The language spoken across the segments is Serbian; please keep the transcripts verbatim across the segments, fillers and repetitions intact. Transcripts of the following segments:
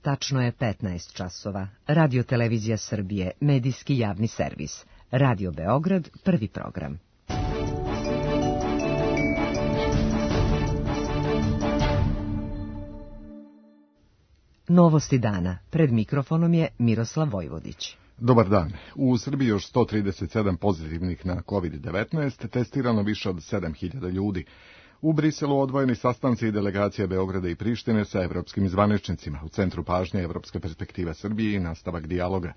tačno je petnaest časova. Radio Televizija Srbije, medijski javni servis. Radio Beograd, prvi program. Novosti dana. Pred mikrofonom je Miroslav Vojvodić. Dobar dan. U Srbiji još sto trideset sedam pozitivnih na kovid devetnaest, testirano više od sedam hiljada ljudi. U Briselu odvojeni sastanci i delegacija Beograda i Prištine sa evropskim zvaničnicima. U centru pažnje Evropska perspektiva Srbije i nastavak dijaloga.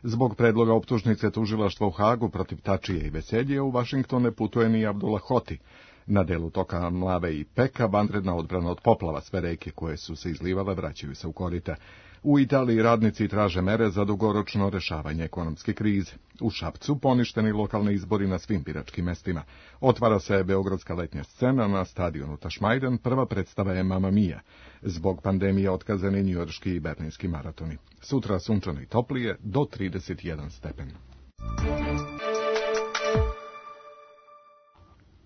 Zbog predloga optužnice tužilaštva u Hagu protiv Tačije i Veseljije u Vašington ne putuje ni Abdullah Hoti. Na delu toka Mlave i Peka vanredna odbrana od poplava, sve reke koje su se izlivale vraćaju se u korita. U Italiji radnici traže mere za dugoročno rešavanje ekonomske krize. U Šapcu poništeni lokalni izbori na svim biračkim mestima. Otvara se beogradska letnja scena na stadionu Tašmajdan, prva predstava je Mamma Mia. Zbog pandemije otkazani njujorški i berlinski maratoni. Sutra sunčano i toplije do trideset jedan stepen.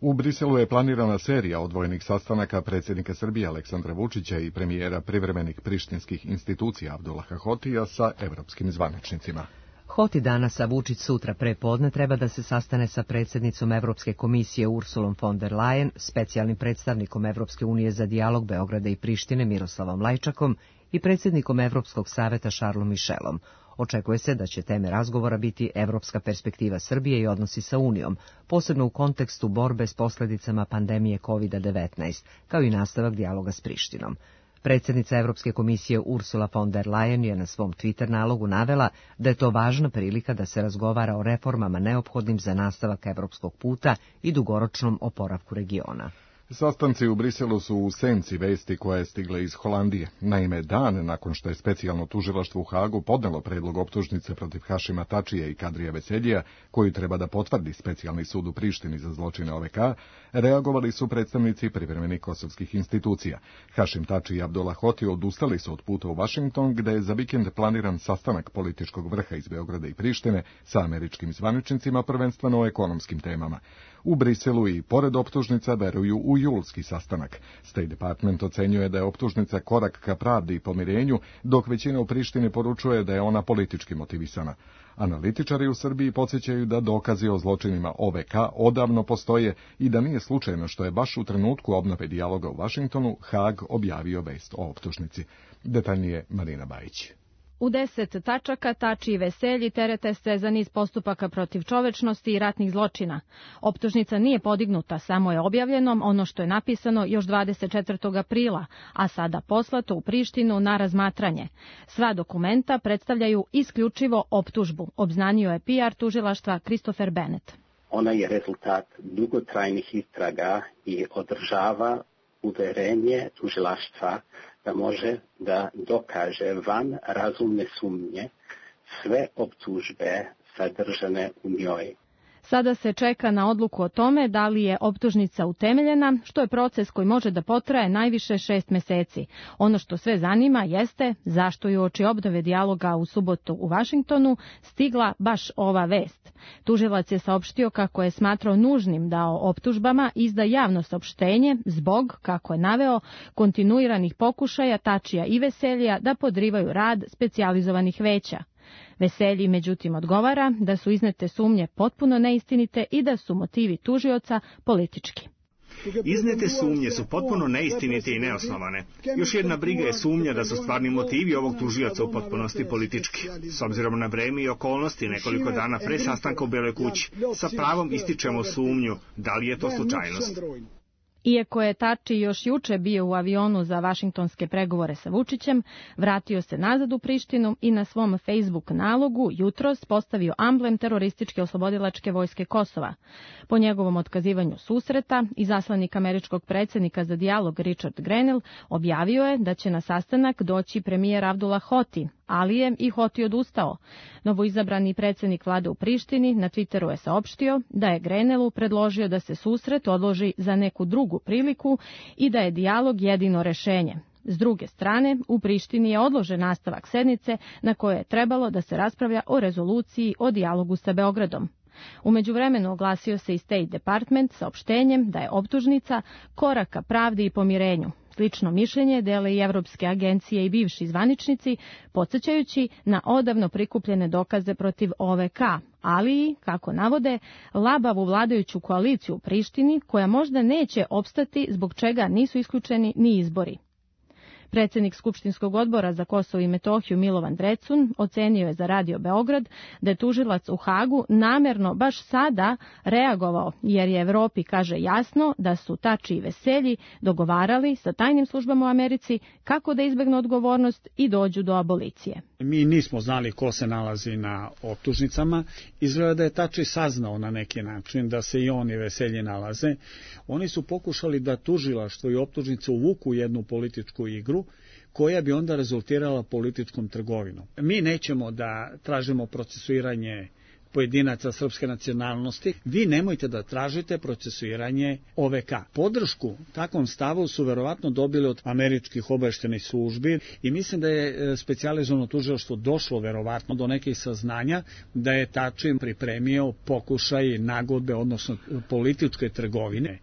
U Briselu je planirana serija odvojenih sastanaka predsjednika Srbije Aleksandra Vučića i premijera privremenih prištinskih institucija Abdullaha Hotija sa evropskim zvaničnicima. Hoti danas, a Vučić sutra prepodne treba da se sastane sa predsjednicom Evropske komisije Ursulom von der Leyen, specijalnim predstavnikom Evropske unije za dijalog Beograda i Prištine Miroslavom Lajčakom i predsjednikom Evropskog saveta Charlesom Michelom. Očekuje se da će teme razgovora biti evropska perspektiva Srbije i odnosi sa Unijom, posebno u kontekstu borbe s posljedicama pandemije kovid devetnaest, kao i nastavak dijaloga s Prištinom. Predsjednica Evropske komisije Ursula von der Leyen je na svom Twitter nalogu navela da je to važna prilika da se razgovara o reformama neophodnim za nastavak evropskog puta i dugoročnom oporavku regiona. Sastanci u Briselu su u senci vesti koja je stigla iz Holandije. Naime, dan nakon što je specijalno tužilaštvo u Hagu podnelo predlog optužnice protiv Hašima Tačije i Kadrija Veseljija, koju treba da potvrdi specijalni sud u Prištini za zločine O V K, reagovali su predstavnici privremenih kosovskih institucija. Hašim Tači i Abdullah Hoti odustali su od puta u Vašington, gde je za vikend planiran sastanak političkog vrha iz Beograda i Prištine sa američkim zvaničnicima, prvenstveno o ekonomskim temama. U Briselu i pored optužnica veruju u julski sastanak. State Department ocenjuje da je optužnica korak ka pravdi i pomirenju, dok većina u Prištini poručuje da je ona politički motivisana. Analitičari u Srbiji podsjećaju da dokazi o zločinima O V K odavno postoje i da nije slučajno što je baš u trenutku obnove dijaloga u Vašingtonu Hag objavio vest o optužnici. Detaljnije Marina Bajić. U deset tačaka Tači i Veselji terete se za niz postupaka protiv čovečnosti i ratnih zločina. Optužnica nije podignuta, samo je objavljeno ono što je napisano još dvadeset četvrtog aprila, a sada poslato u Prištinu na razmatranje. Sva dokumenta predstavljaju isključivo optužbu, obznanio je P R tužilaštva Christopher Bennett. Ona je rezultat dugotrajnih istraga i održava uverenje tužilaštva da može da dokaže van razumne sumnje sve optužbe sadržane u njoj. Sada se čeka na odluku o tome da li je optužnica utemeljena, što je proces koji može da potraje najviše šest meseci. Ono što sve zanima jeste zašto je uoči obnove dijaloga u subotu u Vašingtonu stigla baš ova vest. Tužilac je saopštio kako je smatrao nužnim da o optužbama izda javno saopštenje zbog, kako je naveo, kontinuiranih pokušaja Tačija i Veseljija da podrivaju rad specijalizovanih veća. Veselji međutim odgovara da su iznete sumnje potpuno neistinite i da su motivi tužioca politički. Iznete sumnje su potpuno neistinite i neosnovane. Još jedna briga je sumnja da su stvarni motivi ovog tužioca u potpunosti politički. S obzirom na vreme i okolnosti nekoliko dana pre sastanka u Beloj kući, sa pravom ističemo sumnju da li je to slučajnost. Iako je Tači još juče bio u avionu za vašingtonske pregovore sa Vučićem, vratio se nazad u Prištinu i na svom Facebook nalogu jutros postavio amblem terorističke oslobodilačke vojske Kosova. Po njegovom otkazivanju susreta, izaslanik američkog predsjednika za dijalog Richard Grenell objavio je da će na sastanak doći premijer Abdullah Hoti, ali je i Hoti odustao. Novoizabrani predsjednik vlade u Prištini na Twitteru je saopštio da je Grenellu predložio da se susret odloži za neku drugu priliku i da je dijalog jedino rešenje. S druge strane, u Prištini je odložen nastavak sednice na kojoj je trebalo da se raspravlja o rezoluciji o dijalogu sa Beogradom. U međuvremenu oglasio se i State Department saopštenjem da je optužnica korak ka pravdi i pomirenju. Slično mišljenje dele i evropske agencije i bivši zvaničnici, podsjećajući na odavno prikupljene dokaze protiv O V K, ali i, kako navode, labavu vladajuću koaliciju u Prištini koja možda neće opstati zbog čega nisu isključeni ni izbori. Predsjednik Skupštinskog odbora za Kosovo i Metohiju Milovan Drecun ocenio je za Radio Beograd da je tužilac u Hagu namjerno baš sada reagovao, jer je Evropi, kaže, jasno da su Tači i Veselji dogovarali sa tajnim službama u Americi kako da izbegnu odgovornost i dođu do abolicije. Mi nismo znali ko se nalazi na optužnicama. Izgleda da je Tači saznao na neki način da se i on i Veselji nalaze. Oni su pokušali da tužilaštvo i optužnice uvuku jednu političku igru koja bi onda rezultirala političkom trgovinom. Mi nećemo da tražimo procesuiranje pojedinaca srpske nacionalnosti, vi nemojte da tražite procesuiranje O V K. Podršku takvom stavu su verovatno dobili od američkih obaveštajnih službi i mislim da je specijalizovano tužilaštvo došlo verovatno do nekih saznanja da je Tači pripremio pokušaj nagodbe, odnosno političke trgovine.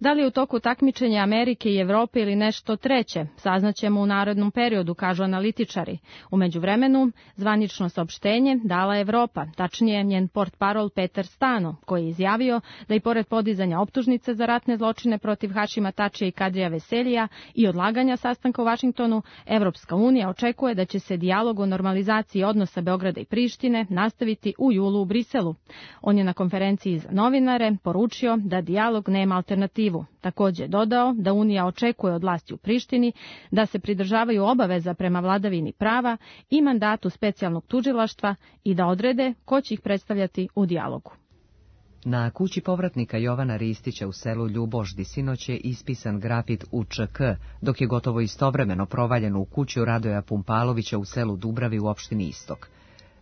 Da li je u toku takmičenja Amerike i Evrope ili nešto treće, saznaćemo u narednom periodu, kažu analitičari. U međuvremenu, zvanično saopštenje dala Evropa, tačnije njen portparol Peter Stano, koji je izjavio da i pored podizanja optužnice za ratne zločine protiv Hašima Tačija i Kadrija Veseljija i odlaganja sastanka u Vašingtonu, Evropska unija očekuje da će se dijalog o normalizaciji odnosa Beograda i Prištine nastaviti u julu u Briselu. On je na konferenciji za novinare poručio da dijalog nema alternativu. Također je dodao da Unija očekuje od vlasti u Prištini da se pridržavaju obaveza prema vladavini prava i mandatu specijalnog tužilaštva i da odrede ko će ih predstavljati u dijalogu. Na kući povratnika Jovana Ristića u selu Ljuboždi sinoć je ispisan grafit U Č K, dok je gotovo istovremeno provaljeno u kuću Radoja Pumpalovića u selu Dubravi u opštini Istok.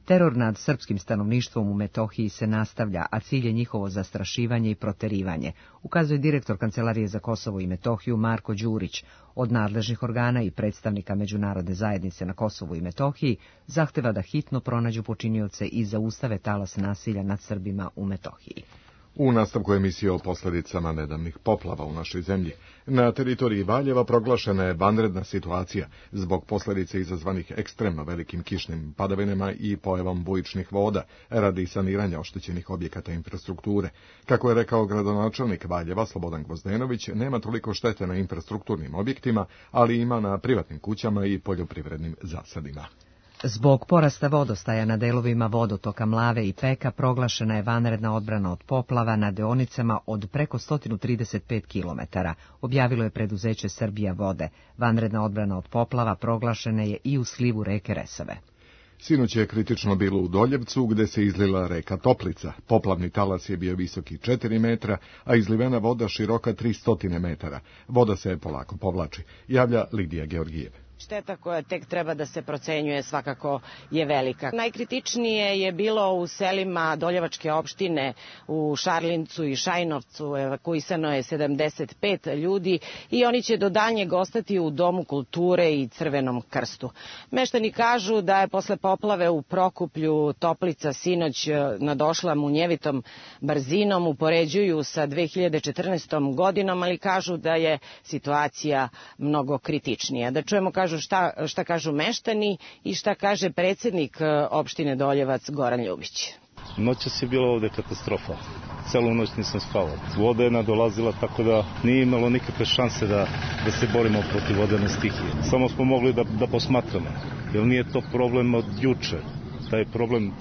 Teror nad srpskim stanovništvom u Metohiji se nastavlja, a cilj je njihovo zastrašivanje i proterivanje, ukazuje direktor Kancelarije za Kosovo i Metohiju Marko Đurić. Od nadležnih organa i predstavnika međunarodne zajednice na Kosovu i Metohiji zahteva da hitno pronađu počinioce i zaustave talas nasilja nad Srbima u Metohiji. U nastavku emisije o posljedicama nedavnih poplava u našoj zemlji, na teritoriji Valjeva proglašena je vanredna situacija zbog posljedice izazvanih ekstremno velikim kišnim padavinama i pojavom bujičnih voda radi saniranja oštećenih objekata infrastrukture. Kako je rekao gradonačelnik Valjeva Slobodan Gvozdenović, nema toliko štete na infrastrukturnim objektima, ali ima na privatnim kućama i poljoprivrednim zasadima. Zbog porasta vodostaja na delovima vodotoka Mlave i Peka proglašena je vanredna odbrana od poplava na deonicama od preko sto trideset pet kilometara, objavilo je preduzeće Srbija vode. Vanredna odbrana od poplava proglašena je i u slivu reke Resave. Sinoć je kritično bilo u Doljevcu, gde se izlila reka Toplica. Poplavni talas je bio visoki četiri metra, a izlivena voda široka tri stotine metara. Voda se polako povlači, javlja Lidija Georgijev. Šteta koja tek treba da se procenjuje svakako je velika. Najkritičnije je bilo u selima Doljevačke opštine, u Šarlincu i Šajnovcu, evakuisano je sedamdeset pet ljudi i oni će do daljnjeg ostati u Domu kulture i Crvenom krstu. Meštani kažu da je posle poplave u Prokuplju Toplica sinoć nadošla munjevitom brzinom, upoređuju sa dve hiljade četrnaestom godinom, ali kažu da je situacija mnogo kritičnija. Da čujemo kažu Šta, šta kažu meštani i šta kaže predsjednik opštine Doljevac Goran Ljubić. Noćas je bila ovde katastrofa. Celu noć nisam spavao. Voda je nadolazila tako da nije imalo nikakve šanse da, da se borimo protiv vodene stihije. Samo smo mogli da, da posmatramo. Jer nije to problem od juče. Taj problem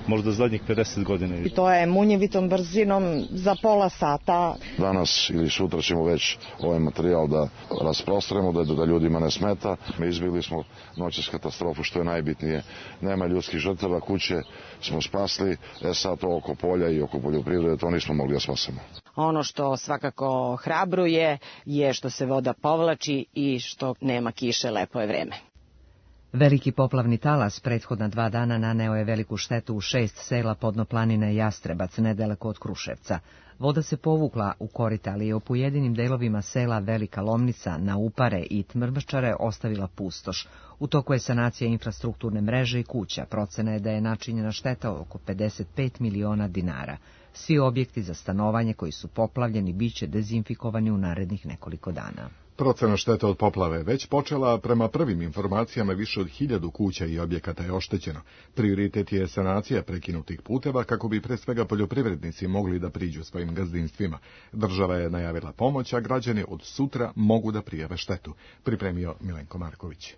možda zadnjih pedeset godina. I to je munjevitom brzinom za pola sata. Danas ili sutra ćemo već ovaj materijal da rasprostremo, da, da ljudima ne smeta. Mi izbjegli smo noćas katastrofu, što je najbitnije. Nema ljudskih žrtava, kuće smo spasli, e sad to oko polja i oko poljoprivrede, to nismo mogli da spasemo. Ono što svakako hrabruje je što se voda povlači i što nema kiše, lepo je vreme. Veliki poplavni talas prethodna dva dana naneo je veliku štetu u šest sela Podnoplanine i Jastrebac, nedaleko od Kruševca. Voda se povukla u korita, ali je u pojedinim delovima sela Velika Lomnica, na Upare i Tmrmčare ostavila pustoš. U toku je sanacija infrastrukturne mreže i kuća. Procena je da je načinjena šteta oko pedeset pet miliona dinara. Svi objekti za stanovanje koji su poplavljeni biće dezinfikovani u narednih nekoliko dana. Procena štete od poplave već počela, prema prvim informacijama više od hiljadu kuća i objekata je oštećeno. Prioritet je sanacija prekinutih puteva kako bi pre svega poljoprivrednici mogli da priđu svojim gazdinstvima. Država je najavila pomoć, a građani od sutra mogu da prijave štetu, pripremio Milenko Marković.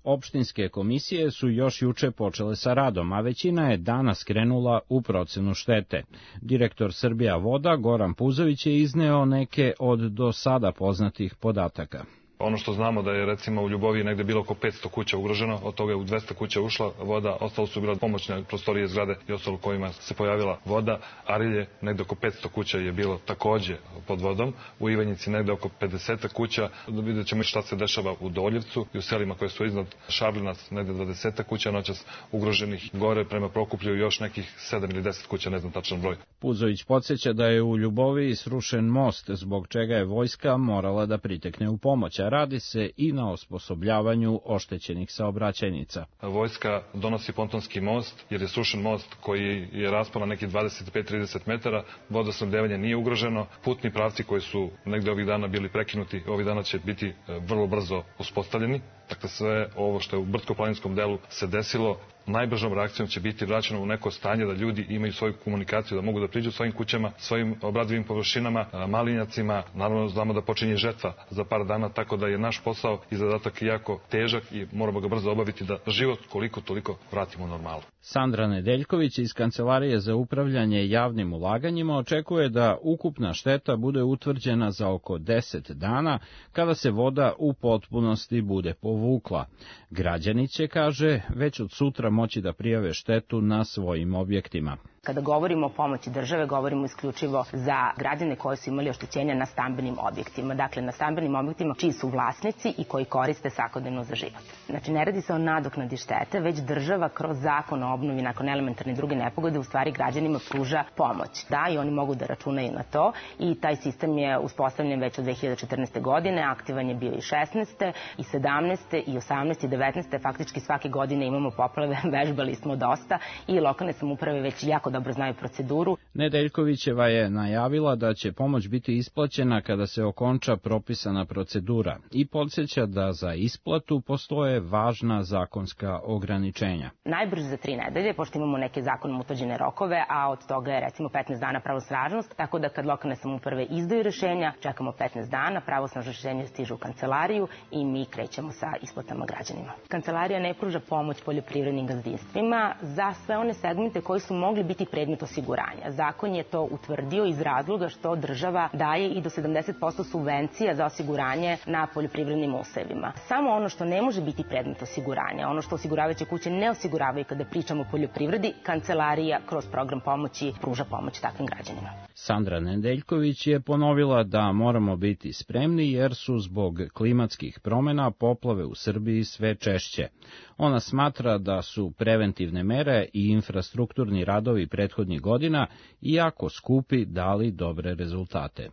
Opštinske komisije su još juče počele sa radom, a većina je danas krenula u procenu štete. Direktor Srbija voda Goran Puzović je izneo neke od do sada poznatih podataka. Ono što znamo da je recimo u Ljuboviji negde bilo oko petsto kuća ugroženo, od toga je u dvesta kuća ušla voda, ostalo su bila pomoćne prostorije zgrade i ostalo kojima se pojavila voda. Arilje, negde oko petsto kuća je bilo takođe pod vodom, u Ivanjici negde oko pedeset kuća, vidjet ćemo šta se dešava u Doljevcu i u selima koje su iznad Šablinac, negde dvadeset kuća noćas ugroženih, gore prema Prokuplju još nekih sedam ili deset kuća, ne znam tačan broj. Puzović podsjeća da je u Ljuboviji srušen most, zbog čega je vojska morala da pritekne u pomoć. Radi se i na osposobljavanju oštećenih saobraćajnica. Vojska donosi pontonski most, jer je srušen most koji je raspon na nekih dvadeset pet do trideset metara, vodosnabdevanje nije ugroženo, putni pravci koji su negde ovih dana bili prekinuti, ovih dana će biti vrlo brzo uspostavljeni. Dakle, sve ovo što je u brdsko-planinskom delu se desilo, najbržom reakcijom će biti vraćeno u neko stanje da ljudi imaju svoju komunikaciju, da mogu da priđu svojim kućama, svojim obradivim površinama, malinjacima. Naravno, znamo da počinje žetva za par dana, tako da je naš posao i zadatak jako težak i moramo ga brzo obaviti da život koliko toliko vratimo u normalu. Sandra Nedeljković iz Kancelarije za upravljanje javnim ulaganjima očekuje da ukupna šteta bude utvrđena za oko deset dana, kada se voda u potpunosti bude povukla. Građani će, kaže, već od sutra moći da prijave štetu na svojim objektima. Kada govorimo o pomoći države, govorimo isključivo za građane koji su imali oštećenja na stambenim objektima. Dakle, na stambenim objektima čiji su vlasnici i koji koriste svakodnevno za život. Znači, ne radi se o nadoknadi štete, već država kroz zakon o obnovi nakon elementarne i druge nepogode u stvari građanima pruža pomoć. Da, i oni mogu da računaju na to i taj sistem je uspostavljen već od dve hiljade četrnaeste. godine, aktivan je bio i šesnaeste. i sedamnaeste. i osamnaeste. i devetnaeste. Faktički svake godine imamo poplave, vežbali smo dosta i lokalne samouprave već jako dobro znaju proceduru. Nedeljkovićeva je najavila da će pomoć biti isplaćena kada se okonča propisana procedura i podsjeća da za isplatu postoje važna zakonska ograničenja. Najbrže za tri nedelje, pošto imamo neke zakonom utvrđene rokove, a od toga je recimo petnaest dana pravosnažnost, tako da kad lokalne samouprave izdaju rešenja, čekamo petnaest dana, pravosnažno rešenje stiže u kancelariju i mi krećemo sa isplatama građanima. Kancelarija ne pruža pomoć poljoprivrednim gazdinstvima za sve one segmente koji su mogli biti predmet osiguranja. Zakon je to utvrdio iz razloga što država daje i do sedamdeset posto subvencija za osiguranje na poljoprivrednim usevima. Samo ono što ne može biti predmet osiguranja, ono što osiguravajuće kuće ne osiguravaju kada pričamo o poljoprivredi, kancelarija kroz program pomoći pruža pomoć takvim građanima. Sandra Nedeljković je ponovila da moramo biti spremni jer su zbog klimatskih promena poplave u Srbiji sve češće. Ona smatra da su preventivne mere i infrastrukturni radovi prethodnih godina, iako skupi, dali dobre rezultate.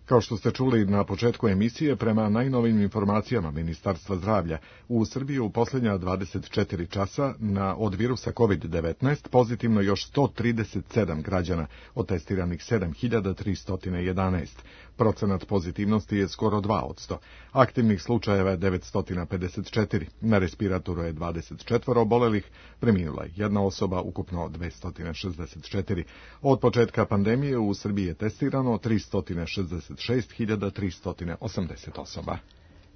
Kao što ste čuli na početku emisije, prema najnovim informacijama Ministarstva zdravlja, u Srbiji u posljednja dvadeset četiri časa na od virusa kovid devetnaest pozitivno još sto trideset sedam građana, od testiranih sedam hiljada tristo jedanaest. Procenat pozitivnosti je skoro dva posto. Aktivnih slučajeva je devetsto pedeset četiri. Na respiratoru je dvadeset četiri obolelih, preminula je jedna osoba, ukupno dvesta šezdeset četiri. Od početka pandemije u Srbiji je testirano tristo šezdeset šest hiljada tristo osamdeset osoba.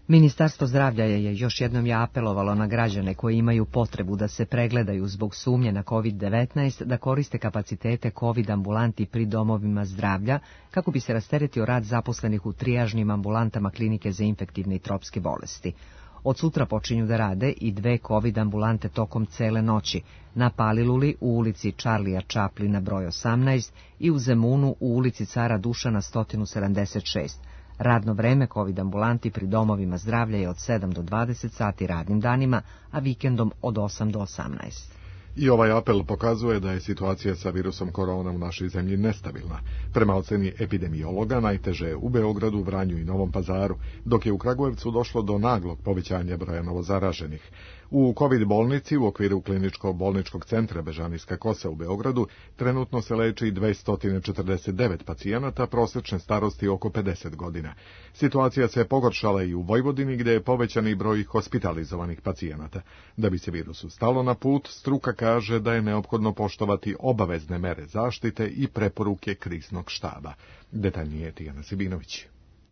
Ministarstvo zdravlja je još jednom je apelovalo na građane koji imaju potrebu da se pregledaju zbog sumnje na kovid devetnaest da koriste kapacitete COVID ambulanti pri domovima zdravlja kako bi se rasteretio rad zaposlenih u trijažnim ambulantama klinike za infektivne i tropske bolesti. Od sutra počinju da rade i dve COVID ambulante tokom cele noći, na Paliluli u ulici Čarlija Čaplina broj osamnaest i u Zemunu u ulici Cara Dušana sto sedamdeset šest. Radno vreme COVID ambulanti pri domovima zdravlja je od sedam do dvadeset sati radnim danima, a vikendom od osam do osamnaest. I ovaj apel pokazuje da je situacija sa virusom korona u našoj zemlji nestabilna. Prema oceni epidemiologa najteže je u Beogradu, Vranju i Novom Pazaru, dok je u Kragujevcu došlo do naglog povećanja broja novozaraženih. U COVID bolnici u okviru kliničko-bolničkog centra Bežanijska Kosa u Beogradu trenutno se leči dvesta četrdeset devet pacijenata prosečne starosti oko pedeset godina. Situacija se pogoršala i u Vojvodini gdje je povećani broj hospitalizovanih pacijenata. Da bi se virusu stalo na put, struka kaže da je neophodno poštovati obavezne mere zaštite i preporuke kriznog štaba. Detaljnije Tijana Sibinović.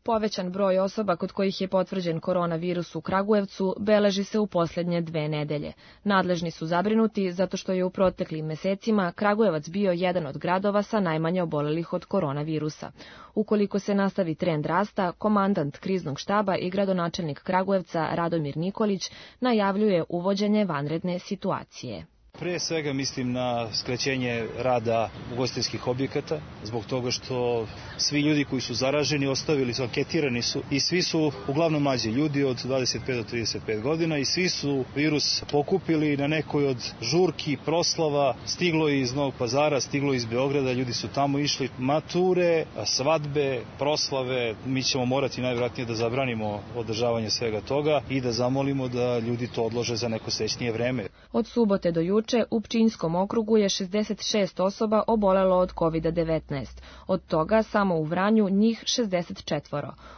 Povećan broj osoba kod kojih je potvrđen koronavirus u Kragujevcu beleži se u posljednje dve nedelje. Nadležni su zabrinuti zato što je u proteklim mesecima Kragujevac bio jedan od gradova sa najmanje obolelih od koronavirusa. Ukoliko se nastavi trend rasta, komandant kriznog štaba i gradonačelnik Kragujevca Radomir Nikolić najavljuje uvođenje vanredne situacije. Pre svega mislim na skraćenje rada ugostiteljskih objekata, zbog toga što svi ljudi koji su zaraženi ostavili su, anketirani su i svi su uglavnom mlađi ljudi od dvadeset pet do trideset pet godina i svi su virus pokupili na nekoj od žurki, proslava, stiglo iz Novog Pazara, stiglo iz Beograda, ljudi su tamo išli, mature, svadbe, proslave, mi ćemo morati najvjerojatnije da zabranimo održavanje svega toga i da zamolimo da ljudi to odlože za neko srećnije vreme. Od subote do juče u Pčinjskom okrugu je šezdeset šest osoba obolelo od kovid devetnaest, od toga samo u Vranju njih šezdeset četiri.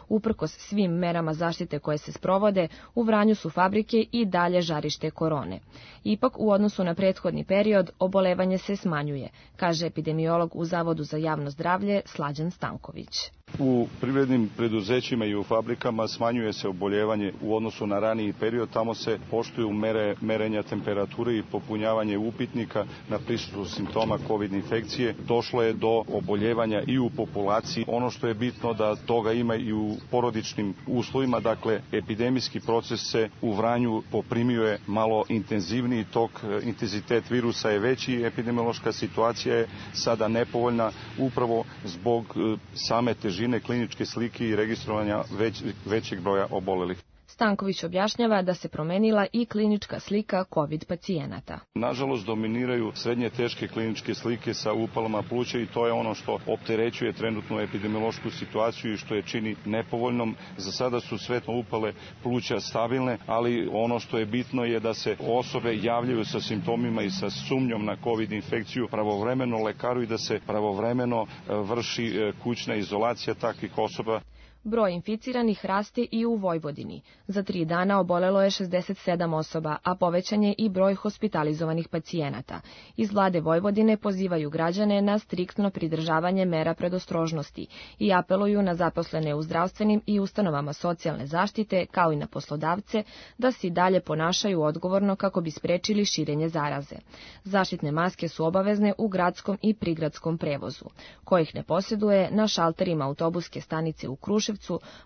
Uprkos svim merama zaštite koje se sprovode, u Vranju su fabrike i dalje žarište korone. Ipak, u odnosu na prethodni period, obolevanje se smanjuje, kaže epidemiolog u Zavodu za javno zdravlje Slađan Stanković. U privrednim preduzećima i u fabrikama smanjuje se oboljevanje u odnosu na raniji period, tamo se poštuju mere merenja temperature i popunjavanje upitnika na prisutnost simptoma COVID infekcije. Došlo je do oboljevanja i u populaciji. Ono što je bitno da toga ima i u porodičnim uslovima, dakle epidemijski proces se u Vranju poprimio malo intenzivniji tok, intenzitet virusa je veći, epidemiološka situacija je sada nepovoljna upravo zbog same težine kliničke slike i registrovanja već, većeg broja obolelih. Stanković objašnjava da se promenila i klinička slika COVID pacijenata. Nažalost, dominiraju srednje teške kliničke slike sa upalama pluća i to je ono što opterećuje trenutnu epidemiološku situaciju i što je čini nepovoljnom. Za sada su sve upale pluća stabilne, ali ono što je bitno je da se osobe javljaju sa simptomima i sa sumnjom na COVID infekciju pravovremeno lekaru i da se pravovremeno vrši kućna izolacija takvih osoba. Broj inficiranih raste i u Vojvodini. Za tri dana obolelo je šezdeset sedam osoba, a povećan je i broj hospitalizovanih pacijenata. Iz vlade Vojvodine pozivaju građane na striktno pridržavanje mera predostrožnosti i apeluju na zaposlene u zdravstvenim i ustanovama socijalne zaštite, kao i na poslodavce, da se i dalje ponašaju odgovorno kako bi sprečili širenje zaraze. Zaštitne maske su obavezne u gradskom i prigradskom prevozu. Ko ih ne posjeduje, na šalterima autobuske stanice u Kruševcu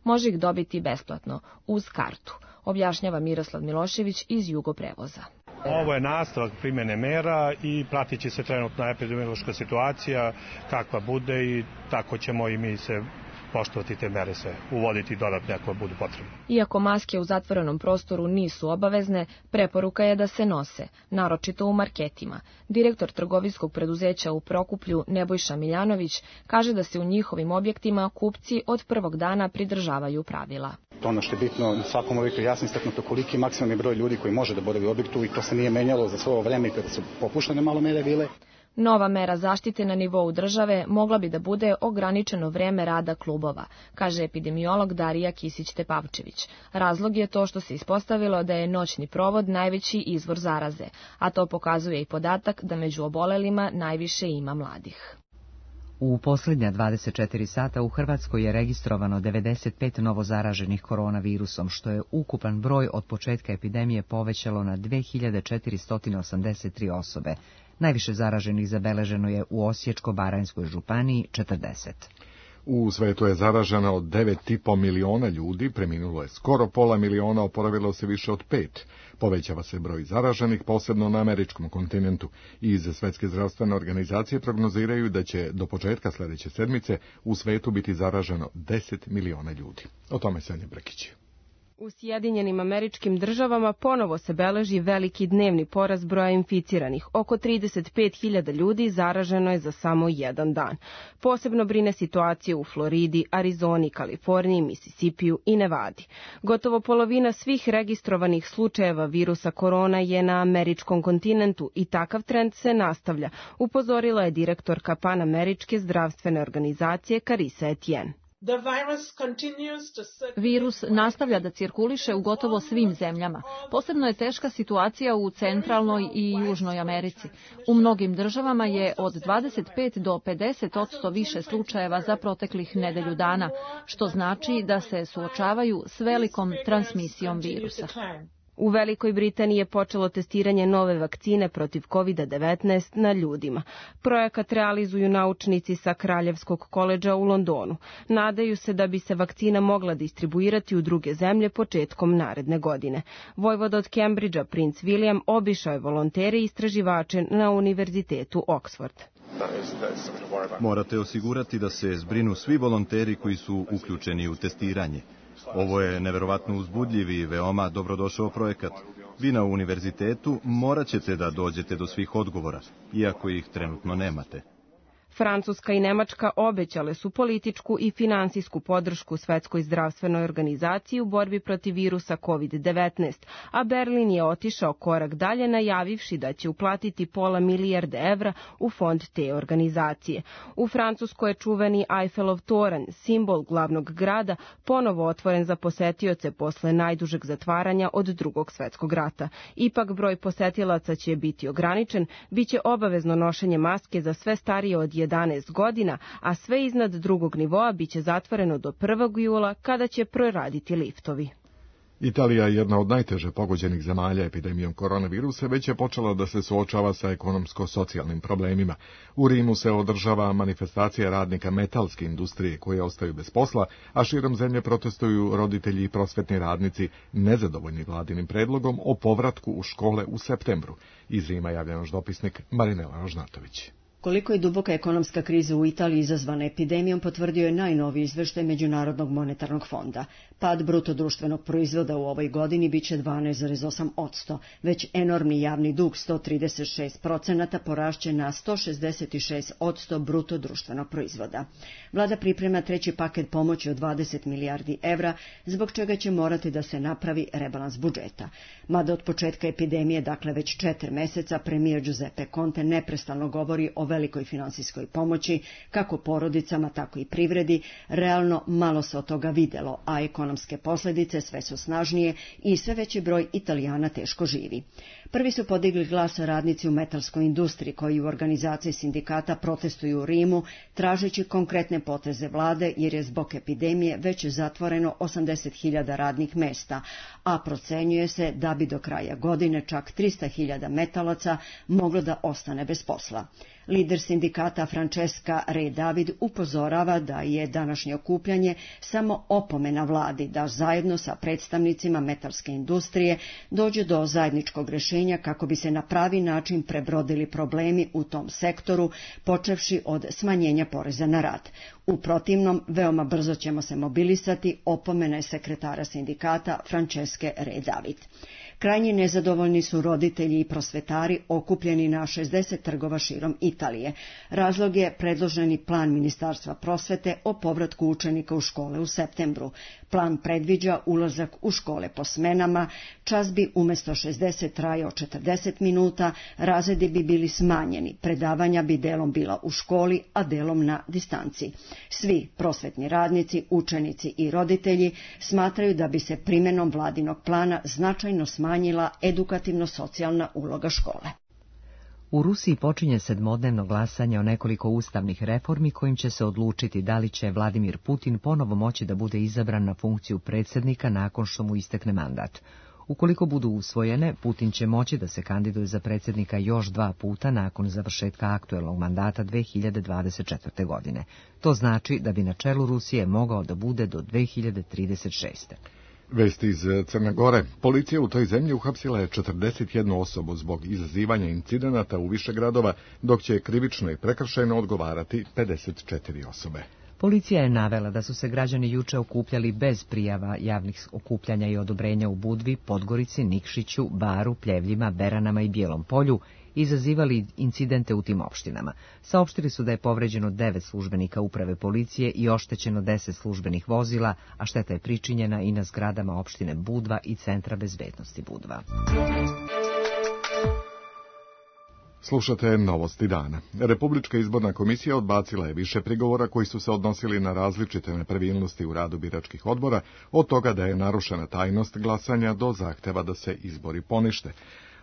može ih dobiti besplatno, uz kartu, objašnjava Miroslav Milošević iz Jugoprevoza. Ovo je nastavak primjene mera i pratit će se trenutna epidemiološka situacija kakva bude i tako ćemo i mi se poštovati te mere, se uvoditi dodatne ako budu potrebne. Iako maske u zatvorenom prostoru nisu obavezne, preporuka je da se nose, naročito u marketima. Direktor trgovinskog preduzeća u Prokuplju Nebojša Miljanović kaže da se u njihovim objektima kupci od prvog dana pridržavaju pravila. Ono što je bitno, u svakom objektu jasno istaknuto koliki je maksimalni broj ljudi koji može da boravi u objektu i to se nije menjalo za svo ovo vreme kada su popuštene malo mere bile. Nova mera zaštite na nivou države mogla bi da bude ograničeno vreme rada klubova, kaže epidemiolog Darija Kisić-Tepavčević. Razlog je to što se ispostavilo da je noćni provod najveći izvor zaraze, a to pokazuje i podatak da među obolelima najviše ima mladih. U posljednja dvadeset četiri sata u Hrvatskoj je registrovano devedeset pet novozaraženih koronavirusom, što je ukupan broj od početka epidemije povećalo na dve hiljade četiristo osamdeset tri osobe. Najviše zaraženih zabeleženo je u Osječko-baranjskoj županiji četrdeset. U svetu je zaraženo od devet i po miliona ljudi, preminulo je skoro pola miliona, oporavilo se više od pet. Povećava se broj zaraženih, posebno na američkom kontinentu. Iz Svetske zdravstvene organizacije prognoziraju da će do početka sljedeće sedmice u svetu biti zaraženo deset miliona ljudi. O tome Sanja Brekić. U Sjedinjenim Američkim Državama ponovo se beleži veliki dnevni porast broja inficiranih. Oko trideset pet hiljada ljudi zaraženo je za samo jedan dan. Posebno brine situacija u Floridi, Arizoni, Kaliforniji, Misisipiju i Nevadi. Gotovo polovina svih registrovanih slučajeva virusa korona je na američkom kontinentu i takav trend se nastavlja, upozorila je direktorka Panameričke zdravstvene organizacije Carissa Etienne. Virus nastavlja da cirkuliše u gotovo svim zemljama. Posebno je teška situacija u Centralnoj i Južnoj Americi. U mnogim državama je od dvadeset pet do pedeset posto više slučajeva za proteklih nedelju dana, što znači da se suočavaju s velikom transmisijom virusa. U Velikoj Britaniji je počelo testiranje nove vakcine protiv kovid devetnaest na ljudima. Projekat realizuju naučnici sa Kraljevskog koledža u Londonu. Nadaju se da bi se vakcina mogla distribuirati u druge zemlje početkom naredne godine. Vojvoda od Cambridgea, princ William, obišao je volontere i istraživače na Univerzitetu Oxford. Morate osigurati da se zbrinu svi volonteri koji su uključeni u testiranje. Ovo je neverovatno uzbudljiv i veoma dobrodošao projekat. Vi na univerzitetu morat ćete da dođete do svih odgovora, iako ih trenutno nemate. Francuska i Nemačka obećale su političku i finansijsku podršku Svetskoj zdravstvenoj organizaciji u borbi protiv virusa kovid devetnaest, a Berlin je otišao korak dalje najavivši da će uplatiti pola milijarde evra u fond te organizacije. U Francuskoj je čuveni Eiffelov toranj, simbol glavnog grada, ponovo otvoren za posetioce posle najdužeg zatvaranja od Drugog svetskog rata. Ipak broj posetilaca će biti ograničen, biće obavezno nošenje maske za sve starije od jedanaest godina, a sve iznad drugog nivoa biće zatvoreno do prvog jula kada će proraditi liftovi. Italija, jedna od najteže pogođenih zemalja epidemijom koronavirusa, već je počela da se suočava sa ekonomsko-socijalnim problemima. U Rimu se održava manifestacija radnika metalske industrije koje ostaju bez posla, a širom zemlje protestuju roditelji i prosvetni radnici nezadovoljni vladinim predlogom o povratku u škole u septembru. Iz Rima javlja naš dopisnik Marinela Rožnatović. Koliko je duboka ekonomska kriza u Italiji izazvana epidemijom potvrdio je najnoviji izveštaj Međunarodnog monetarnog fonda. Pad bruto društvenog proizvoda u ovoj godini biće dvanaest zarez osam posto, već enormni javni dug sto trideset šest procenata porašće na sto šezdeset šest posto bruto društvenog proizvoda. Vlada priprema treći paket pomoći od dvadeset milijardi evra, zbog čega će morati da se napravi rebalans budžeta. Mada od početka epidemije, dakle već četiri meseca, premijer Giuseppe Conte neprestano govori o velikoj finansijskoj pomoći, kako porodicama, tako i privredi, realno malo se od toga videlo, a ekonomske posljedice sve su snažnije i sve veći broj Italijana teško živi. Prvi su podigli glas radnici u metalskoj industriji koji u organizaciji sindikata protestuju u Rimu, tražeći konkretne poteze vlade jer je zbog epidemije već zatvoreno osamdeset hiljada radnih mesta, a procenjuje se da bi do kraja godine čak trista hiljada metalaca moglo da ostane bez posla. Lider sindikata Francesca Re David upozorava da je današnje okupljanje samo opomena vladi da zajedno sa predstavnicima metalske industrije dođe do zajedničkog rješenja kako bi se na pravi način prebrodili problemi u tom sektoru, počevši od smanjenja poreza na rad. U protivnom, veoma brzo ćemo se mobilisati, opomena je sekretara sindikata Francesca Re David. Krajnje nezadovoljni su roditelji i prosvetari okupljeni na šezdeset trgova širom Italije. Razlog je predloženi plan Ministarstva prosvete o povratku učenika u škole u septembru. Plan predviđa ulazak u škole po smenama, čas bi umjesto šezdeset trajao četrdeset minuta, razredi bi bili smanjeni, predavanja bi delom bila u školi, a delom na distanci. Svi prosvetni radnici, učenici i roditelji smatraju da bi se primjenom vladinog plana značajno smanjila edukativno-socijalna uloga škole. U Rusiji počinje sedmodnevno glasanje o nekoliko ustavnih reformi kojim će se odlučiti da li će Vladimir Putin ponovo moći da bude izabran na funkciju predsjednika nakon što mu istekne mandat. Ukoliko budu usvojene, Putin će moći da se kandiduje za predsjednika još dva puta nakon završetka aktuelnog mandata dve hiljade dvadeset četvrte. godine. To znači da bi na čelu Rusije mogao da bude do dve hiljade trideset šeste. Vesti iz Crne Gore. Policija u toj zemlji uhapsila je četrdeset jednu osobu zbog izazivanja incidenata u više gradova, dok će krivično i prekršajno odgovarati pedeset četiri osobe. Policija je navela da su se građani juče okupljali bez prijava javnih okupljanja i odobrenja u Budvi, Podgorici, Nikšiću, Baru, Pljevljima, Beranama i Bijelom Polju, izazivali incidente u tim opštinama. Saopštili su da je povređeno devet službenika uprave policije i oštećeno deset službenih vozila, a šteta je pričinjena i na zgradama opštine Budva i Centra bezbednosti Budva. Slušate Novosti dana. Republička izborna komisija odbacila je više prigovora koji su se odnosili na različite nepravilnosti u radu biračkih odbora, od toga da je narušena tajnost glasanja do zahteva da se izbori ponište.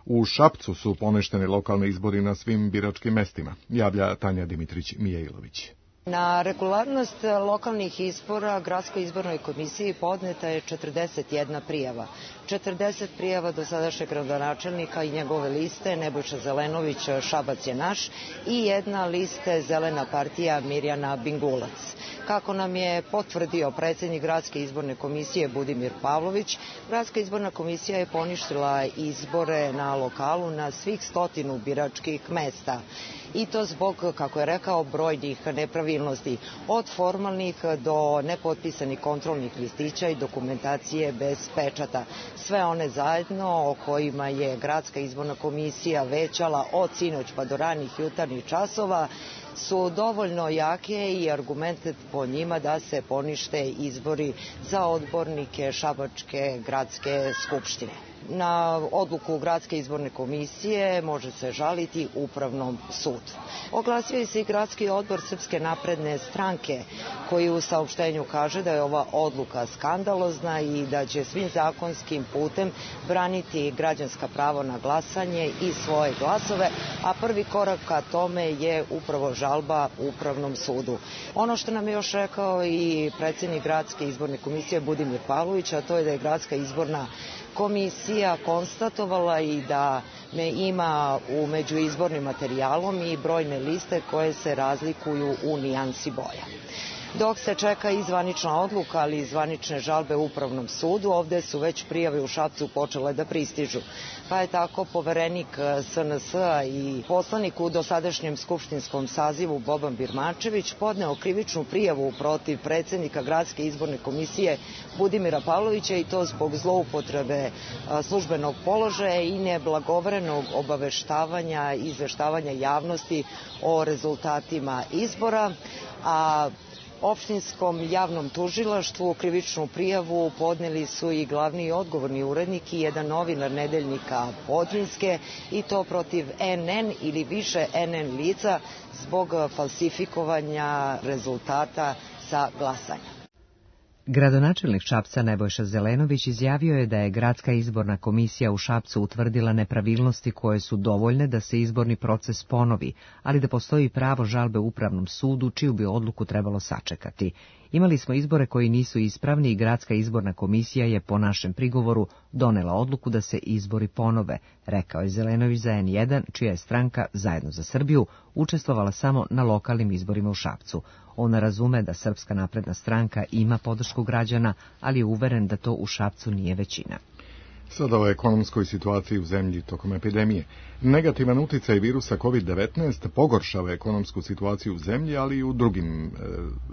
U Šapcu su poništeni lokalni izbori na svim biračkim mestima, javlja Tanja Dimitrić-Mijailović. Na regularnost lokalnih izbora Gradskoj izbornoj komisiji podneta je četrdeset jedna prijava. četrdeset prijava do sadašnjeg gradonačelnika i njegove liste Nebojša Zelenović Šabac je naš i jedna liste Zelena partija Mirjana Bingulac. Kako nam je potvrdio predsjednik Gradske izborne komisije Budimir Pavlović, Gradska izborna komisija je poništila izbore na lokalu na svih stotinu biračkih mesta. I to zbog, kako je rekao, brojnih nepravilnosti, od formalnih do nepotpisanih kontrolnih listića i dokumentacije bez pečata. Sve one zajedno o kojima je Gradska izborna komisija većala od sinoć pa do ranih jutarnjih časova su dovoljno jake i argumente po njima da se ponište izbori za odbornike Šabačke gradske skupštine. Na odluku Gradske izborne komisije može se žaliti Upravnom sudu. Oglasio je se i Gradski odbor Srpske napredne stranke, koji u saopštenju kaže da je ova odluka skandalozna i da će svim zakonskim putem braniti građanska prava na glasanje i svoje glasove, a prvi korak ka tome je upravo žalba Upravnom sudu. Ono što nam je još rekao i predsjednik Gradske izborne komisije Budimir Pavlović, a to je da je Gradska izborna komisija konstatovala i da me ima u međuizbornim materijalom i brojne liste koje se razlikuju u nijansi boja. Dok se čeka i zvanična odluka, ali i zvanične žalbe Upravnom sudu, ovde su već prijave u Šapcu počele da pristižu. Pa je tako poverenik S N S-a i poslanik u dosadašnjem skupštinskom sazivu Boban Birmančević podneo krivičnu prijavu protiv predsjednika Gradske izborne komisije Budimira Pavlovića i to zbog zloupotrebe službenog položaja i neblagovrenog obaveštavanja i izveštavanja javnosti o rezultatima izbora, a opštinskom javnom tužilaštvu krivičnu prijavu podneli su i glavni i odgovorni urednik i jedan novinar nedeljnika Podrinjske i to protiv N N ili više N N lica zbog falsifikovanja rezultata sa glasanja. Gradonačelnik Šapca Nebojša Zelenović izjavio je da je Gradska izborna komisija u Šapcu utvrdila nepravilnosti koje su dovoljne da se izborni proces ponovi, ali da postoji pravo žalbe Upravnom sudu, čiju bi odluku trebalo sačekati. Imali smo izbore koji nisu ispravni i Gradska izborna komisija je po našem prigovoru donela odluku da se izbori ponove, rekao je Zelenović za N jedan, čija je stranka Zajedno za Srbiju učestvovala samo na lokalnim izborima u Šapcu. On razume da Srpska napredna stranka ima podršku građana, ali je uveren da to u Šapcu nije većina. Sada o ekonomskoj situaciji u zemlji tokom epidemije. Negativan uticaj virusa kovid devetnaest pogoršava ekonomsku situaciju u zemlji, ali i u drugim e,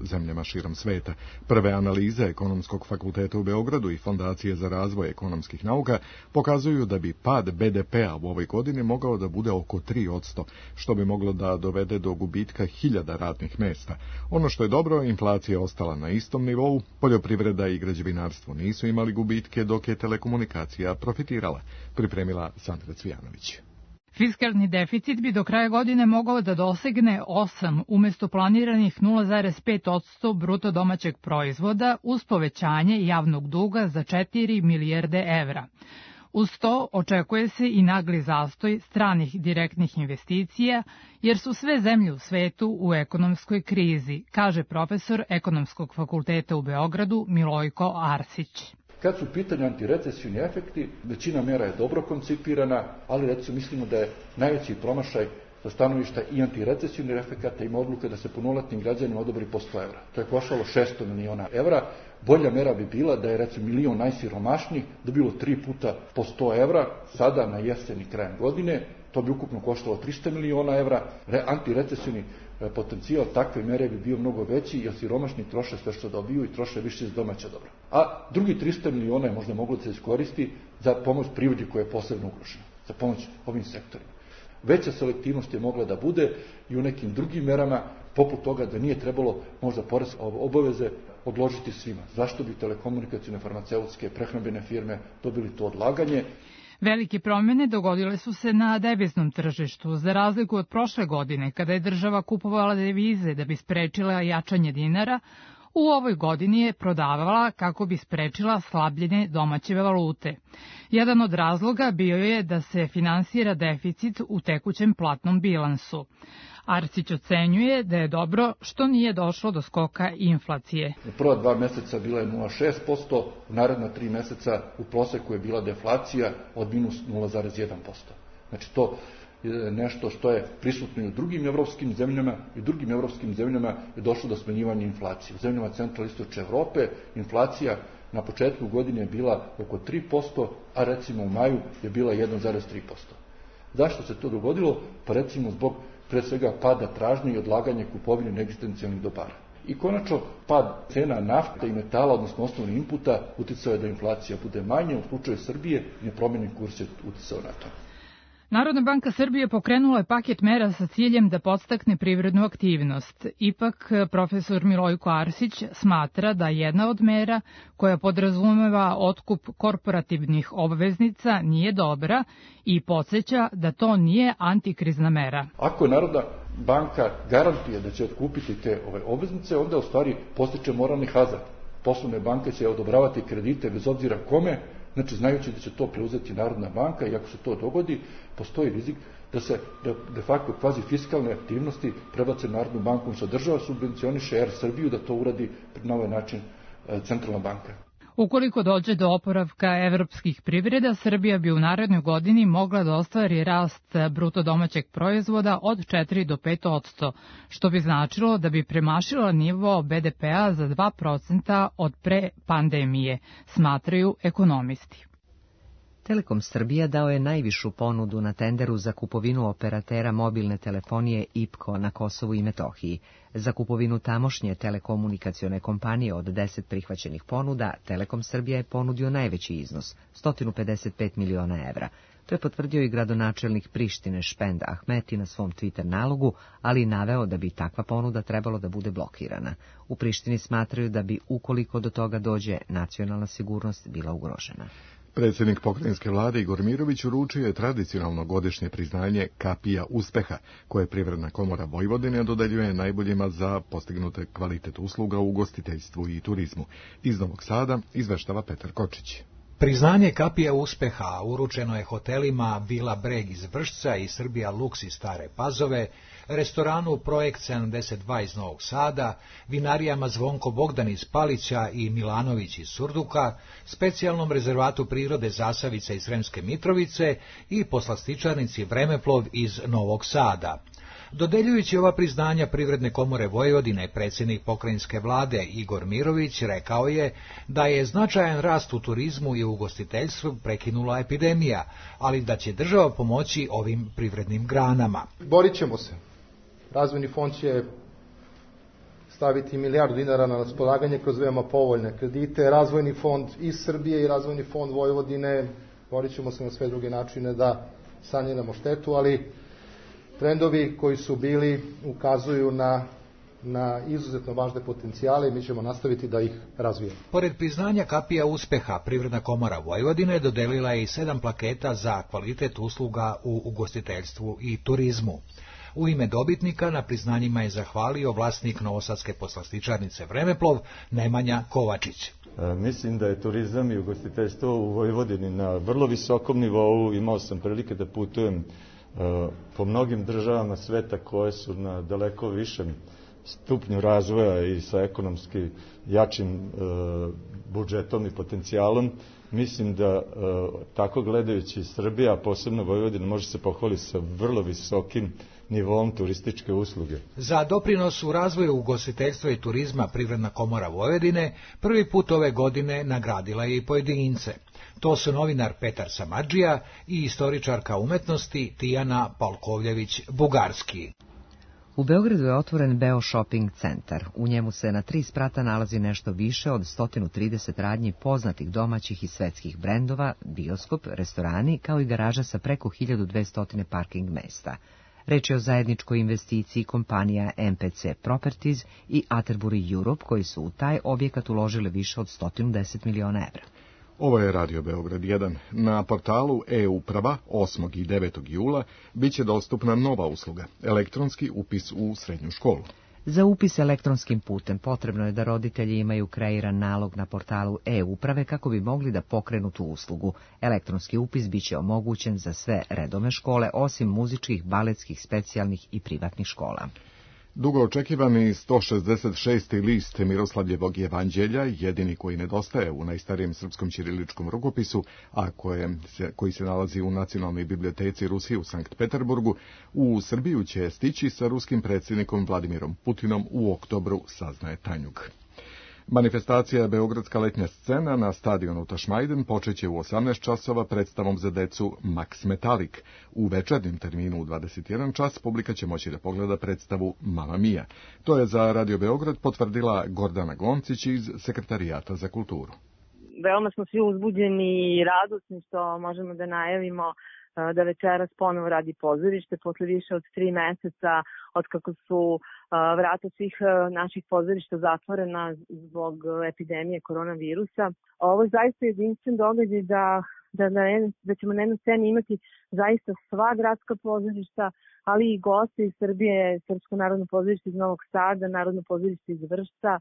zemljama širom sveta. Prve analize Ekonomskog fakulteta u Beogradu i Fondacije za razvoj ekonomskih nauka pokazuju da bi pad B D P-a u ovoj godini mogao da bude oko tri posto, što bi moglo da dovede do gubitka hiljada radnih mesta. Ono što je dobro, inflacija je ostala na istom nivou, poljoprivreda i građevinarstvo nisu imali gubitke, dok je telekomunikacija profitirala, pripremila Sandra Cvijanović. Fiskalni deficit bi do kraja godine mogao da dosegne osam umjesto planiranih nula zarez pet posto bruto domaćeg proizvoda uz povećanje javnog duga za četiri milijarde evra. Uz to očekuje se i nagli zastoj stranih direktnih investicija, jer su sve zemlje u svetu u ekonomskoj krizi, kaže profesor Ekonomskog fakulteta u Beogradu Milojko Arsić. Kad su pitanje antirecesijni efekti, većina mjera je dobro koncipirana, ali recimo mislimo da je najveći promašaj sa stanovišta i antirecesijnih efekata ima odluka da se punoletnim građanima odobri po sto evra. To je koštalo šesto miliona evra. Bolja mera bi bila da je recimo milion najsiromašnijih dobilo tri puta po sto evra, sada na jeseni krajem godine. To bi ukupno koštalo tristo miliona evra. Antirecesijni potencijal takve mere bi bio mnogo veći, jer siromašni troše sve što dobiju i troše više iz domaća dobra. A drugi tristo miliona je možda moglo da se iskoristi za pomoć privredi koja je posebno ugrožena, za pomoć ovim sektorima. Veća selektivnost je mogla da bude i u nekim drugim merama, poput toga da nije trebalo možda poreske obaveze odložiti svima. Zašto bi telekomunikacijne, farmaceutske, prehrambene firme dobili to odlaganje? Velike promjene dogodile su se na deviznom tržištu, za razliku od prošle godine, kada je država kupovala devize da bi sprečila jačanje dinara. U ovoj godini je prodavala kako bi sprečila slabljenje domaće valute. Jedan od razloga bio je da se finansira deficit u tekućem platnom bilansu. Arsić ocenjuje da je dobro što nije došlo do skoka inflacije. U prva dva meseca bila je nula zarez šest posto, u naredna tri meseca u proseku je bila deflacija od minus nula zarez jedan posto. Znači to je nešto što je prisutno i u drugim evropskim zemljama i u drugim evropskim zemljama je došlo do smanjivanja inflacije. U zemljama centralne istočne Evrope inflacija na početku godine je bila oko tri posto, a recimo u maju je bila jedan zarez tri posto. Zašto se to dogodilo? Pa recimo zbog pre svega pada tražnje i odlaganje kupovine neegzistencijalnih dobara. I konačno, pad cena nafte i metala, odnosno osnovnih inputa, uticao je da inflacija bude manja. U slučaju Srbije nepromenjen kurs je uticao na to. Narodna banka Srbije pokrenula je paket mera sa ciljem da podstakne privrednu aktivnost. Ipak, profesor Milojko Arsić smatra da jedna od mera koja podrazumeva otkup korporativnih obveznica nije dobra i podsjeća da to nije antikrizna mera. Ako Narodna banka garantuje da će otkupiti te ove obveznice, onda u stvari postiče moralni hazard. Poslovne banke će odobravati kredite bez obzira kome, znači znajući da će to preuzeti Narodna banka i ako se to dogodi, postoji rizik da se de, de facto kvazi fiskalne aktivnosti prebace Narodnom bankom, što država subvencioniše Er Srbiju da to uradi na ovaj način centralna banka. Ukoliko dođe do oporavka evropskih privreda, Srbija bi u narednoj godini mogla da ostvari rast bruto domaćeg proizvoda od četiri do pet posto, što bi značilo da bi premašila nivo be de pea za dva procenta od pre pandemije, smatraju ekonomisti. Telekom Srbija dao je najvišu ponudu na tenderu za kupovinu operatera mobilne telefonije I P K O na Kosovu i Metohiji. Za kupovinu tamošnje telekomunikacione kompanije od deset prihvaćenih ponuda, Telekom Srbija je ponudio najveći iznos, sto pedeset pet miliona evra. To je potvrdio i gradonačelnik Prištine Špend Ahmeti na svom Twitter nalogu, ali i naveo da bi takva ponuda trebalo da bude blokirana. U Prištini smatraju da bi, ukoliko do toga dođe, nacionalna sigurnost bila ugrožena. Predsjednik pokrajinske vlade Igor Mirović uručio je tradicionalno godišnje priznanje Kapija uspeha, koje Privredna komora Vojvodine dodeljuje najboljima za postignute kvalitet usluga u ugostiteljstvu i turizmu. Iz Novog Sada izveštava Petar Kočić. Priznanje Kapija uspeha uručeno je hotelima Vila Breg iz Vršca i Srbija Luks iz Stare Pazove, restoranu Projekt sedamdeset dva iz Novog Sada, vinarijama Zvonko Bogdan iz Palića i Milanović iz Surduka, specijalnom rezervatu prirode Zasavica iz Sremske Mitrovice i poslastičarnici Vremeplov iz Novog Sada. Dodeljujući ova priznanja Privredne komore Vojvodine, predsjednik pokrajinske vlade Igor Mirović rekao je da je značajan rast u turizmu i ugostiteljstvu prekinula epidemija, ali da će država pomoći ovim privrednim granama. Borit ćemo se. Razvojni fond će staviti milijardu dinara na raspolaganje kroz veoma povoljne kredite. Razvojni fond iz Srbije i Razvojni fond Vojvodine, borit ćemo se na sve druge načine da saniramo štetu, ali trendovi koji su bili ukazuju na, na izuzetno važne potencijale i mi ćemo nastaviti da ih razvijemo. Pored priznanja Kapija uspeha, Privredna komora Vojvodine dodelila je i sedam plaketa za kvalitet usluga u ugostiteljstvu i turizmu. U ime dobitnika na priznanjima je zahvalio vlasnik novosadske poslastičarnice Vremeplov Nemanja Kovačić. E, mislim da je turizam i ugostiteljstvo u Vojvodini na vrlo visokom nivou. Imao sam prilike da putujem po mnogim državama sveta koje su na daleko višem stupnju razvoja i sa ekonomski jačim e, budžetom i potencijalom. Mislim da e, tako gledajući Srbija, a posebno Vojvodina, može se pohvaliti sa vrlo visokim nivom turističke usluge. Za doprinos u razvoju ugostiteljstva i turizma Privredna komora Vojvodine prvi put ove godine nagradila je i pojedince. To su novinar Petar Samadžija i istoričarka umetnosti Tijana Palkovljević-Bugarski. U Beogradu je otvoren Beo Shopping centar. U njemu se na tri sprata nalazi nešto više od sto trideset radnji poznatih domaćih i svetskih brendova, bioskop, restorani, kao i garaža sa preko hiljadu dvesta parking mesta. Reč je o zajedničkoj investiciji kompanija M P C Properties i Atterbury Europe, koji su u taj objekat uložili više od sto deset miliona evra. Ovo je Radio Beograd jedan. Na portalu e-uprava osmog i devetog jula bit će dostupna nova usluga, elektronski upis u srednju školu. Za upis elektronskim putem potrebno je da roditelji imaju kreiran nalog na portalu e-uprave kako bi mogli da pokrenu tu uslugu. Elektronski upis bit će omogućen za sve redovne škole, osim muzičkih, baletskih, specijalnih i privatnih škola. Dugo očekivani sto šezdeset šesti list Miroslavljevog evanđelja, jedini koji nedostaje u najstarijem srpskom ćiriličkom rukopisu, a koje se, koji se nalazi u Nacionalnoj biblioteci Rusije u Sankt Peterburgu, u Srbiju će stići sa ruskim predsjednikom Vladimirom Putinom u oktobru, saznaje Tanjug. Manifestacija Beogradska letnja scena na stadionu Tašmajden počeće u osamnaest časova predstavom za decu Max Metalik. U večernjem terminu u dvadeset jedan čas publika će moći da pogleda predstavu Mamma Mia. To je za Radio Beograd potvrdila Gordana Gloncić iz Sekretarijata za kulturu. Veoma smo svi uzbuđeni i radosni što možemo da najavimo da večeras ponovo radi pozorište posle više od tri meseca od kako su vrata svih naših pozorišta zatvorena zbog epidemije koronavirusa. Ovo je zaista jedinstven događaj da, da, da, da ćemo na jednoj sceni imati zaista sva gradska pozorišta, ali i goste iz Srbije, Srpsko narodno pozorište iz Novog Sada, Narodno pozorište iz Vršca,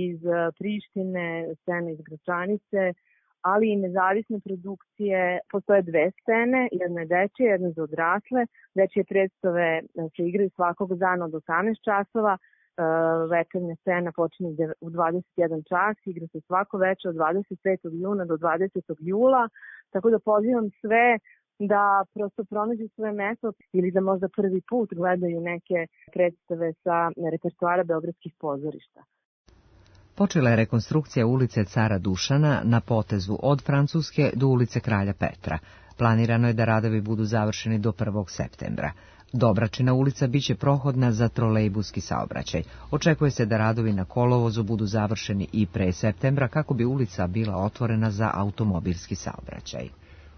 iz Prištine, scene iz Gračanice, ali i nezavisne produkcije. Postoje dve scene, jedna je dečija, jedna za odrasle. Dečije predstave se igraju svakog dana od osamnaest časova, večernja scena počinje u dvadeset jedan čas, igra se svako večer od dvadeset petog juna do dvadesetog jula, tako da pozivam sve da prosto pronađu svoje mesto ili da možda prvi put gledaju neke predstave sa repertoara beogradskih pozorišta. Počela je rekonstrukcija ulice Cara Dušana na potezu od Francuske do ulice Kralja Petra. Planirano je da radovi budu završeni do prvog septembra. Dobračina ulica biće prohodna za trolejbuski saobraćaj. Očekuje se da radovi na kolovozu budu završeni i pre septembra kako bi ulica bila otvorena za automobilski saobraćaj.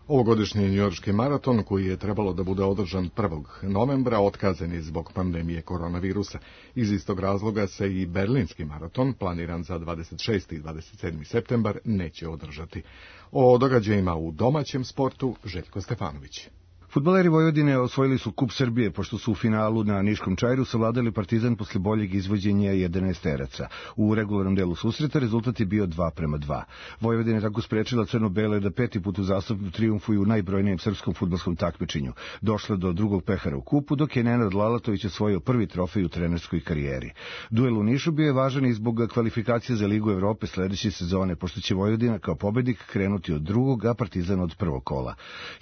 Ovogodišnji njujorški maraton, koji je trebalo da bude održan prvog novembra, otkazan je zbog pandemije koronavirusa. Iz istog razloga se i berlinski maraton, planiran za dvadeset šesti i dvadeset sedmi septembar, neće održati. O događajima u domaćem sportu Željko Stefanović. Fudbaleri Vojvodine osvojili su Kup Srbije, pošto su u finalu na Niškom Čajru savladali Partizan posle boljeg izvođenja jedanaesteraca. U regularnom delu susreta rezultat je bio dva prema dva. Vojvodina je tako sprečila crno-bele da peti put uzastopno trijumfuju u najbrojnijem srpskom fudbalskom takmičenju. Došla do drugog pehara u kupu, dok je Nenad Lalatović osvojio prvi trofej u trenerskoj karijeri. Duel u Nišu bio je važan i zbog kvalifikacije za Ligu Evrope sledeće sezone, pošto će Vojvodina kao pobednik krenuti od drugog, a Partizan od prvog kola.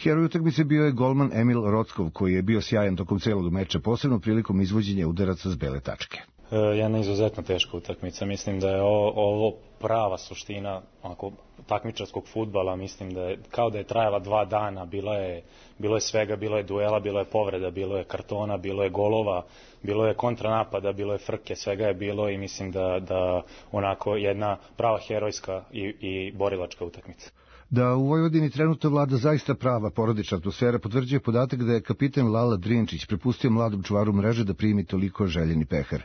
Heroj utakmice bio je golman Emil Rockov, koji je bio sjajan tokom celog meča, posebno prilikom izvođenja udaraca s bele tačke. E, jedna izuzetno teška utakmica. Mislim da je ovo, ovo prava suština onako, takmičarskog fudbala. Mislim da je kao da je trajala dva dana. Bilo je, bilo je svega, bilo je duela, bilo je povreda, bilo je kartona, bilo je golova, bilo je kontranapada, bilo je frke, svega je bilo i mislim da, da onako jedna prava herojska i, i borilačka utakmica. Da u Vojvodini trenutno vlada zaista prava porodična atmosfera potvrđuje podatak da je kapitan Lala Drinčić prepustio mladom čuvaru mreže da primi toliko željeni pehar.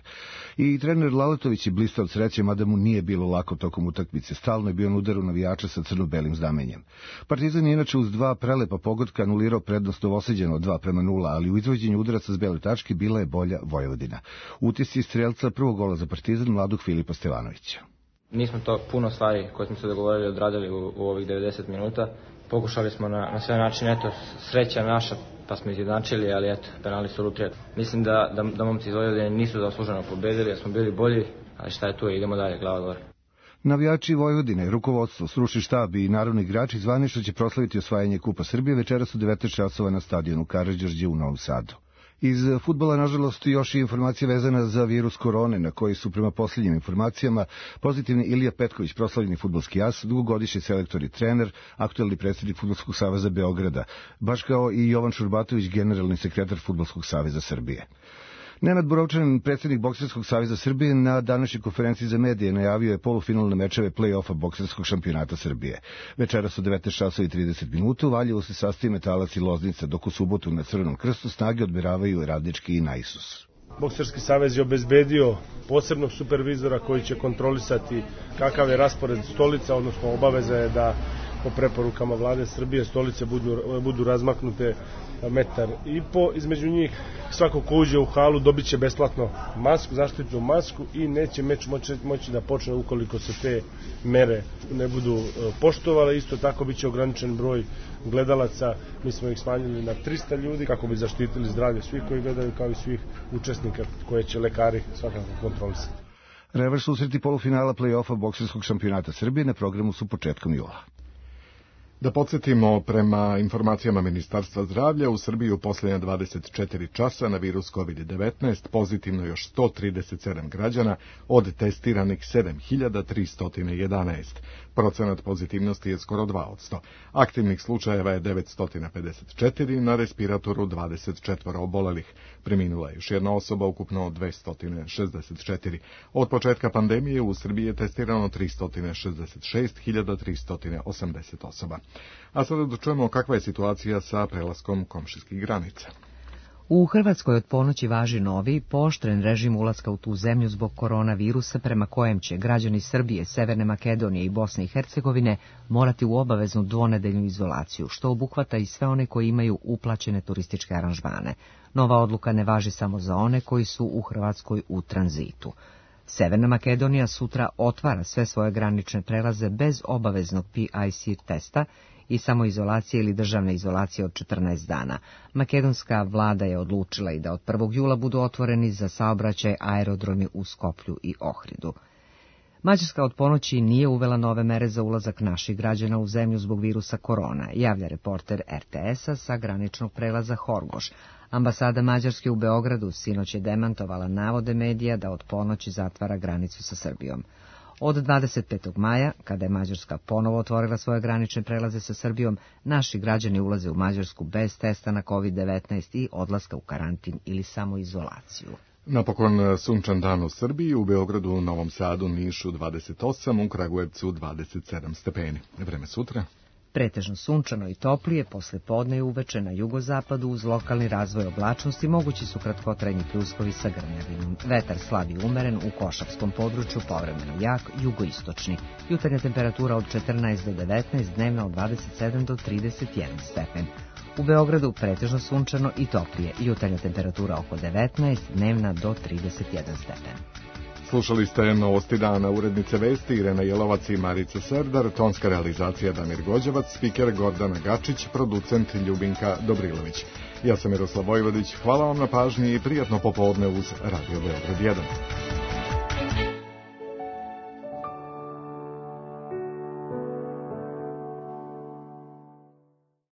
I trener Lalatović je blistao od sreće, mada mu nije bilo lako tokom utakmice. Stalno je bio na udaru navijača sa crno-belim znamenjem. Partizan je inače uz dva prelepa pogotka anulirao prednost Novosađana od dva prema nula, ali u izvođenju udaraca s bele tačke bila je bolja Vojvodina. Utisci strelca prvog gola za Partizan mladog Filipa Stevanovića. Nismo to puno stvari koje smo se dogovorili odradili u, u ovih devedeset minuta. Pokušali smo na, na sve načine, eto, sreća naša, pa smo izjednačili, ali eto, penali su lutrija. Mislim da, da, da momci iz Vojvodine nisu zasluženo pobedili, jer smo bili bolji, ali šta je tu, idemo dalje, glava gore. Navijači Vojvodine, rukovodstvo, stručni štab i narodni igrači zvanično će proslaviti osvajanje Kupa Srbije večeras u devetnaest časova na stadionu Karađorđe u Novom Sadu. Iz fudbala, nažalost, još i informacija vezana za virus korone, na koji su prema posljednjim informacijama pozitivni Ilija Petković, proslavljeni fudbalski as, dugogodišnji selektor i trener, aktuelni predsjednik Fudbalskog saveza Beograda, baš kao i Jovan Šurbatović, generalni sekretar Fudbalskog saveza Srbije. Nenad Borovčanin, predsjednik Bokserskog saveza Srbije, na današnjoj konferenciji za medije najavio je polufinalne mečeve play-offa Bokserskog šampionata Srbije. Večeras u devetnaest časova i trideset minuta u Valjevu se sastaju Metalac i Loznica, dok u subotu na Crvenom krstu snage odmeravaju Radnički i Naisus. Bokserski savez je obezbedio posebnog supervizora koji će kontrolisati kakav je raspored stolica, odnosno obaveza je da po preporukama vlade Srbije stolice budu, budu razmaknute metar i po. Između njih svako ko uđe u halu dobit će besplatno masku, zaštitnu masku i neće meč moći, moći da počne ukoliko se te mere ne budu poštovale. Isto tako bit će ograničen broj gledalaca, mi smo ih smanjili na trista ljudi kako bi zaštitili zdravlje svih koji gledaju kao i svih učesnika koje će lekari svakako kontrolisati. Revanš susreti polufinala play-offa Bokserskog šampionata Srbije na programu su početkom jula. Da podsjetimo, prema informacijama Ministarstva zdravlja, u Srbiji u posljednja dvadeset četiri časa na virus kovid devetnaest pozitivno još sto trideset sedam građana od testiranih sedam hiljada tristo jedanaest. Procenat pozitivnosti je skoro dva posto. Aktivnih slučajeva je devetsto pedeset četiri, na respiratoru dvadeset četiri obolelih. Preminula je još jedna osoba, ukupno dvesta šezdeset četiri. Od početka pandemije u Srbiji je testirano tristo šezdeset šest hiljada tristo osamdeset osoba. A sada da čujemo kakva je situacija sa prelaskom komšijskih granica. U Hrvatskoj od ponoći važi novi, pooštren režim ulaska u tu zemlju zbog koronavirusa, prema kojem će građani Srbije, Severne Makedonije i Bosne i Hercegovine morati u obaveznu dvonedeljnu izolaciju, što obuhvata i sve one koji imaju uplaćene turističke aranžmane. Nova odluka ne važi samo za one koji su u Hrvatskoj u tranzitu. Severna Makedonija sutra otvara sve svoje granične prelaze bez obaveznog P I C testa i samoizolacije ili državne izolacije od četrnaest dana. Makedonska vlada je odlučila i da od prvog jula budu otvoreni za saobraćaj aerodromi u Skoplju i Ohridu. Mađarska od ponoći nije uvela nove mere za ulazak naših građana u zemlju zbog virusa korona, javlja reporter R T S-a sa graničnog prelaza Horgoš. Ambasada Mađarske u Beogradu sinoć je demantovala navode medija da od ponoći zatvara granicu sa Srbijom. Od dvadeset petog maja, kada je Mađarska ponovo otvorila svoje granične prelaze sa Srbijom, naši građani ulaze u Mađarsku bez testa na kovid devetnaest i odlaska u karantin ili samoizolaciju. Napokon sunčan dan u Srbiji, u Beogradu, Novom Sadu, Nišu dvadeset osam, u Kragujevcu dvadeset sedam stepeni. Vreme sutra? Pretežno sunčano i toplije, posle podne i uveče na jugozapadu uz lokalni razvoj oblačnosti mogući su kratkotrajni pljuskovi sa grmljavinom. Vetar slab i umeren, u košarskom području povremeno jak, jugoistočni. Jutarnja temperatura od četrnaest do devetnaest, dnevna od dvadeset sedam do trideset jedan stepen. U Beogradu pretežno sunčano i toplije, jutarnja temperatura oko devetnaest, dnevna do trideset jedan stepen. Slušali ste novosti dana, urednice vesti Irena Jelovac i Marica Serdar, tonska realizacija Damir Gođevac, spiker Gordana Gačić, producent Ljubinka Dobrilović. Ja sam Miroslav Vojvodić, hvala vam na pažnji i prijatno popodne uz Radio Beograd jedan.